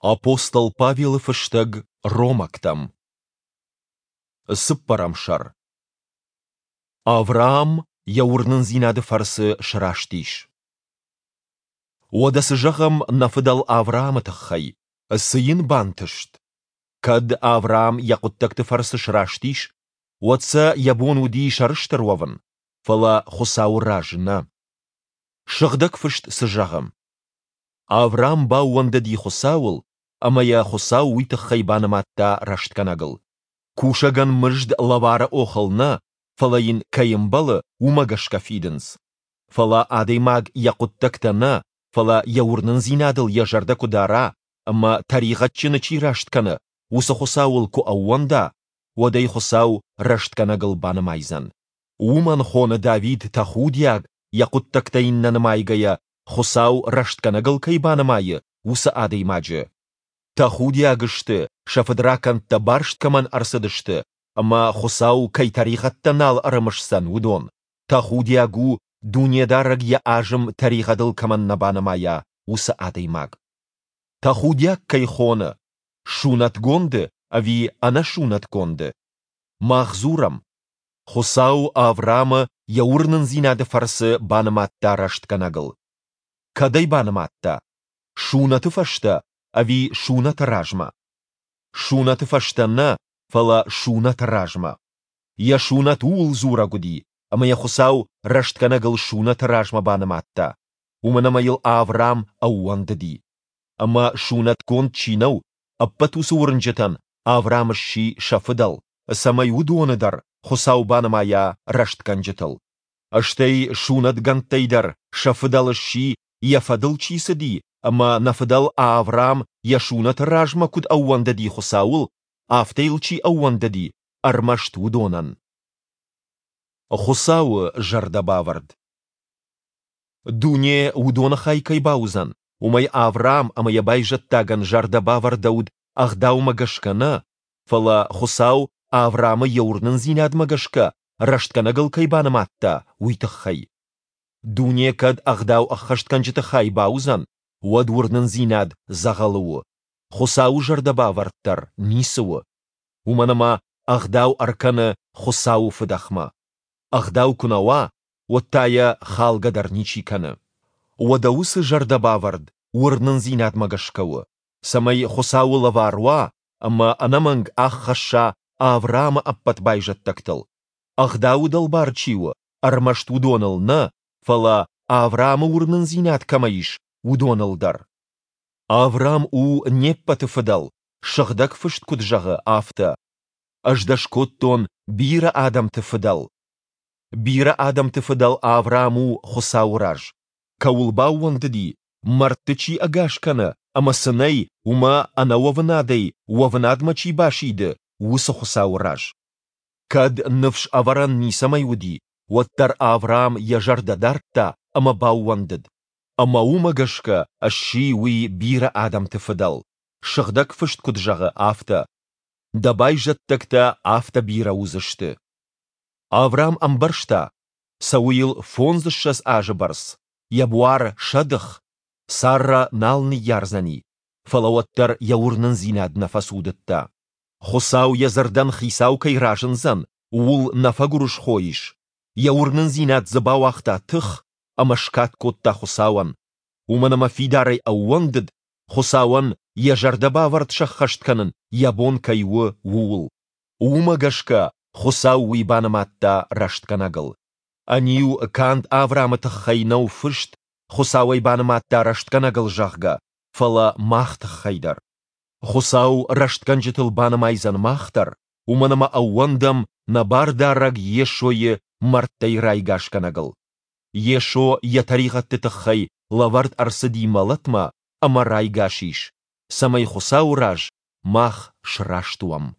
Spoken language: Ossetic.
Апостол Павелы фыстӕг Ромӕгтӕм. Цыппӕрӕм сӕр. Авраам йӕ уырнындзинады фӕрцы сраст ис. Уӕдӕ цы зӕгъӕм нӕ фыдӕл Авраамы тыххӕй? Цы йын бантыст? Кӕд Авраам йӕ хъуыддӕгты фӕрцы сраст ис, уӕд сӕ йӕ бон уыди сӕрыстыр уӕвын, фӕлӕ Хуыцауы раз нӕ. Сыгъдӕг Фыст цы зӕгъы? Авраам баууӕндыди Хуыцауыл, ӕмӕ йӕ Хуыцау уый тыххӕй банымадта рӕстгӕнӕгыл. Кусӕгӕн мызд лӕвары охыл нӕ, фӕлӕ йын кӕй ӕмбӕлы, уымӕ гӕсгӕ фидынц. Фӕлӕ адӕймаг йӕ хъуыддӕгтӕ нӕ, фӕлӕ йӕ уырнындзинадыл йӕ зӕрдӕ куы дара ӕмӕ тӕригъӕдджыны чи раст кӕны, уыцы Хуыцауыл куы ӕууӕнда, уӕд ӕй Хуыцау рӕстгӕнӕгыл банымайдзӕн. Уымӕн хоны Давид тӕхудиаг, йӕ хъуыддӕгтӕ йын нӕ нымайгӕйӕ, Хуыцау рӕстгӕнӕгыл кӕй банымайы, уыцы адӕймаджы. Тӕхудиаг сты, сӕ фыдракӕндтӕ барст кӕмӕн ӕрцыдысты ӕмӕ Хуыцау кӕй тӕригъӕдтӕ нал ӕрымысдзӕн, уыдон. Тӕхудиаг у, Дунедарӕг йӕ азым тӕригъӕдыл кӕмӕн нӕ банымайа, уыцы адӕймаг. Тӕхудиаг кӕй хоны, сунӕтгонды ӕви ӕнӕсунӕтгонды? Мах дзурӕм, Хуыцау Авраамы йӕ уырнындзинады фӕрцы банымадта рӕстгӕнӕгыл. Кӕд ӕй банымадта? Сунӕты фӕстӕ ӕви сунӕты размӕ? Сунӕты фӕстӕ нӕ, фӕлӕ сунӕты размӕ. Йӕ сунӕт ууыл дзурӕг уыди, ӕмӕ йӕ Хуыцау рӕстгӕнӕгыл сунӕты размӕ банымадта, уымӕн ӕмӕ йыл Авраам ӕууӕндыди. Ӕмӕ сунӕтгонд чи нӕу, ӕппӕт уыцы уырнджытӕн Авраам сси сӕ фыдӕл, цӕмӕй уыдоны дӕр Хуыцау банымайа рӕстгӕнджытыл. Стӕй сунӕтгӕндтӕй дӕр сӕ фыдӕл сси, йӕ фӕдыл чи цыди ӕмӕ нӕ фыдӕл Авраам йӕ сунӕты размӕ куыд ӕууӕндыди Хуыцауыл, афтӕ йыл чи ӕууӕндыди, ӕрмӕст уыдонӕн. Хуыцауы зӕрдӕбавӕрд. Дуне уыдоны хай кӕй бауыдзӕн, уымӕй Авраам ӕмӕ йӕ байзӕддагӕн зӕрдӕ бавӕрдӕуыд ӕгъдаумӕ гӕсгӕ нӕ, фӕлӕ Хуыцау Авраамы йӕ уырнындзинадмӕ гӕсгӕ рӕстгӕнӕгыл кӕй банымадта, уый тыххӕй. Дуне кӕд ӕгъдау ӕххӕстгӕнджыты хай бауыдзӕн, уӕд уырнындзинад дзӕгъӕлы у, Хуыцауы зӕрдӕбавӕрд дӕр ницы у. Уымӕн ӕмӕ ӕгъдау ӕркӕны Хуыцауы фыдӕхмӕ. Ӕгъдау куы нӕ уа, уӕд та йӕ халгӕ дӕр ничи кӕны. Уӕдӕ уыцы зӕрдӕбавӕрд уырнындзинадмӕ гӕсгӕ у, цӕмӕй Хуыцауы лӕвар уа ӕмӕ ӕнӕмӕнг аххӕсса Авраамы ӕппӕт байзӕддӕгтыл, Ӕгъдауы дӕлбар чи у, ӕрмӕст уыдоныл нӕ, фӕлӕ Авраамы уырнындзинад кӕмӕ ис, уыдоныл дӕр. Авраам у не ппӕты фыдӕл, Сыгъдӕг Фыст куыд зӕгъы, афтӕ: Ӕз дӕ скодтон бирӕ адӕмты фыдӕл. Бирӕ адӕмты фыдӕл Авраам у Хуыцауы раз, кӕуыл баууӕндыди, мӕрдты чи ӕгас кӕны ӕмӕ цы нӕй, уымӕ ӕнӕуӕвынадӕй уӕвынадмӕ чи басиды, уыцы Хуыцауы раз. Кӕд ныфс ӕвӕрӕн ницӕмӕй уыди, уӕддӕр Авраам йӕ зӕрдӕ дардта ӕмӕ баууӕндыд. Ӕмӕ уымӕ гӕсгӕ сси уый бирӕ адӕмты фыдӕл, Сыгъдӕг Фыст куыд зӕгъы, афтӕ: Дӕ байзӕддӕгтӕ афтӕ бирӕ уыдзысты. Авраам ӕмбӕрста, цӕуы йыл фондзыссӕдз азы бӕрц, йӕ буар сӕдых, Саррӕ нал ныййардзӕни, фӕлӕ уӕддӕр йӕ уырнындзинад нӕ фӕцудыдта. Хуыцау йӕ дзырдӕн хицау кӕй разындзӕн, ууыл нӕ фӕгуырысхо ис, йӕ уырнындзинад дзы бауагъта тых ӕмӕ скад кодта Хуыцауӕн, уымӕн ӕмӕ фидарӕй ӕууӕндыд, Хуыцауӕн йӕ зӕрдӕбавӕрд сӕххӕст кӕнын йӕ бон кӕй у, ууыл. Уымӕ гӕсгӕ Хуыцау уый банымадта рӕстгӕнӕгыл. Ӕниу канд Авраамы тыххӕй нӕу фыст, Хуыцау ӕй банымадта рӕстгӕнӕгыл, зӕгъгӕ, фӕлӕ мах тыххӕй дӕр. Хуыцау рӕстгӕнджытыл банымайдзӕн мах дӕр, уымӕн ӕмӕ ӕууӕндӕм нӕ Бардарӕг Йесойы мӕрдтӕй райгасгӕнӕгыл. Йесо йӕ тӕригъӕдты тыххӕй лӕвӕрд ӕрцыди мӕлӕтмӕ ӕмӕ райгас ис, цӕмӕй Хуыцауы раз мах сраст уӕм.